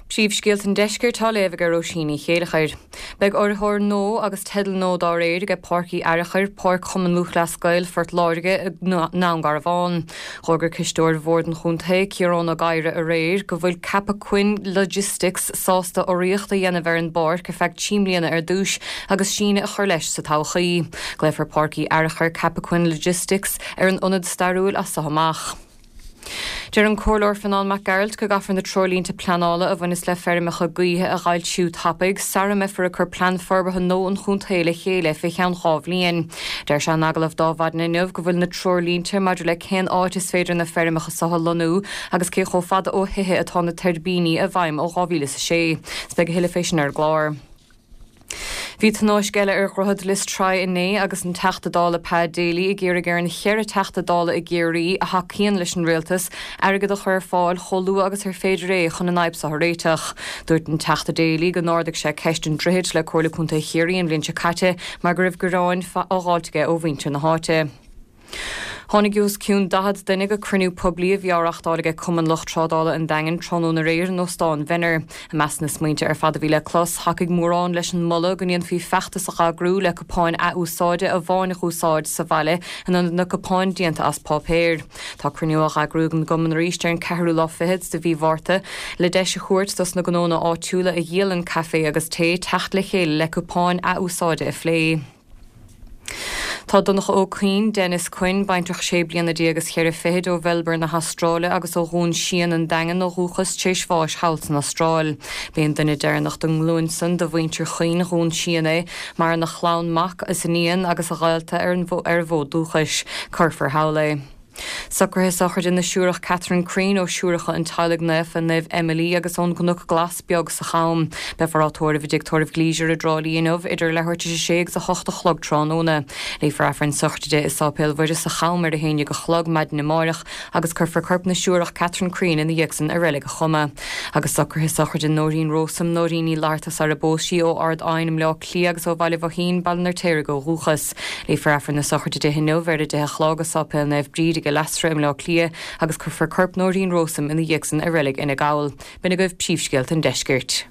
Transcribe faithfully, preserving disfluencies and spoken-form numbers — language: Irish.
Príomhscéalta an Deiscirt á léamh ag Róisín Ní Chéilleachair. Beidh urraitheoir nua agus teideal nua dá réir ag Páirc Uí Fhearachair, Páirc Chumann Lúthchleas Gael Phort Láirge i nDún Garbhán. D'fhógair cisteoir Bhord an Chontae, Ciarán Ó Gadhra aréir go bhfuil Cappoquin Logistics sásta urraíocht a dhéanamh ar an bpáirc ar feadh trí bliana ar dtús agus síneadh a chur leis sa todhchaí. Glaofar Páirc Uí Fhearachair Cappoquin Logistics ar an ionad stairiúil as seo amach. Deir an Comhairleoir Fionán Mac Gearailt go gcaithfear na treoirlínte pleanála a bhaineas le feirmeacha gaoithe a fhoilsiú tapaidh, sara mbeifear ag cur plean forbartha nua an chontae le chéile fé cheann dhá bhliain. Deir sé in agallamh d'Adhmhaidin inniu go bhfuil na treoirlínte maidir le cén áit is féidir na feirmeacha seo a lonnú agus cé chomh fada ó thithe atá na tuirbíní i bhfeidhm ó dhá mhíle is a sé. Is beidh a thuilleadh fé sin ar an gclár. Bhí tionóisc eile ar Dhroichead Lios Traí inné agus an Teachta Dála Pa Daly ag iarraidh ar an cheithre Teachta Dála i gCiarraí a thacaíonn leis an rialtas airgead a chur ar fáil chomh luath agus ar féidir é chun an fhadhb seo a réiteach. Dúirt an Teachta Daly go n-ardaigh sé ceist an droichid le Comhairle Contae Chiarraí an bhliain seo caite mar go raibh gearáin á fháilt aige ó mhuintir na háite. Tháinig os cionn daichead duine go cruinniú poiblí a bhí á reáchtáil aige Cumann Lucht Trádála an Daingin tráthnóna aréir in Óstán Mhenner. I measc na smaointe ar fad a bhí le clos, thacaigh mórán leis an moladh go ndéanfaí feachtas a eagrú le cupáin athúsáide amháin a úsáid sa bhaile in ionad na cupáin déanta as páipéir. Tá cruinniú á eagrú ag an gcumann arís ar an ceathrú lá fichead de mhí Mhárta le deis a thabhairt dos na gnónna áitiúla a dhíolann caife agus tae teacht le chéile le cupáin athúsáide a phlé. Tá Donncha Ó Cuinn, Dennis Quinn, baintreach sé bliana déag agus ceithre fichid ó Mhelbourne na hAstráile agus ó Dhún Síon an Daingean ó dhúchas tar éis bháis thall san Astráil. B'é an duine deireanach den nglúin san de mhuintir Chuinn Dhún Síon é, maireann a chlann mac is iníon agus a ghaolta ar an ar a bhfód dúchais. Cuirfear thall é. Socruithe sochraide na Siúrach Catherine Crean ó Siúracha an Teaghlaigh Naofa Naomh Emily agus ón gCnoc Glas beag sa Cham. Beifear á tórramh i dTigh Tórraimh Gleisure i dTrá Lí inniu idir leathuair tar éis a sé agus a hocht a chlog tráthnóna. Léifear Aifreann sochraide i Sáipéal Mhuire sa Cham ar a haon déag a chlog maidin amárach agus cuirfear corp na Siúrach Catherine Crean ina dhiaidh san i Reilig an Choma. Agus socruithe sochraide Nóirín Rósam Nóirín Ní Fhlatharta sara bpós sí ó Ard Aidhin i mBleá Cliath agus ó Bhaile Bhoithín Baile an Fheirtéaraigh ó dhúchas. Léifear Aifreann na sochraide di inniu ar a deich a chlog i Sáipéal Naomh Bríd i Leasra i mBleá Cliath agus cuirfear corp Nóirín Rósam ina dhiaidh san i Reilig Fhine Gall. B'in agaibh príomhscéalta an deiscirt.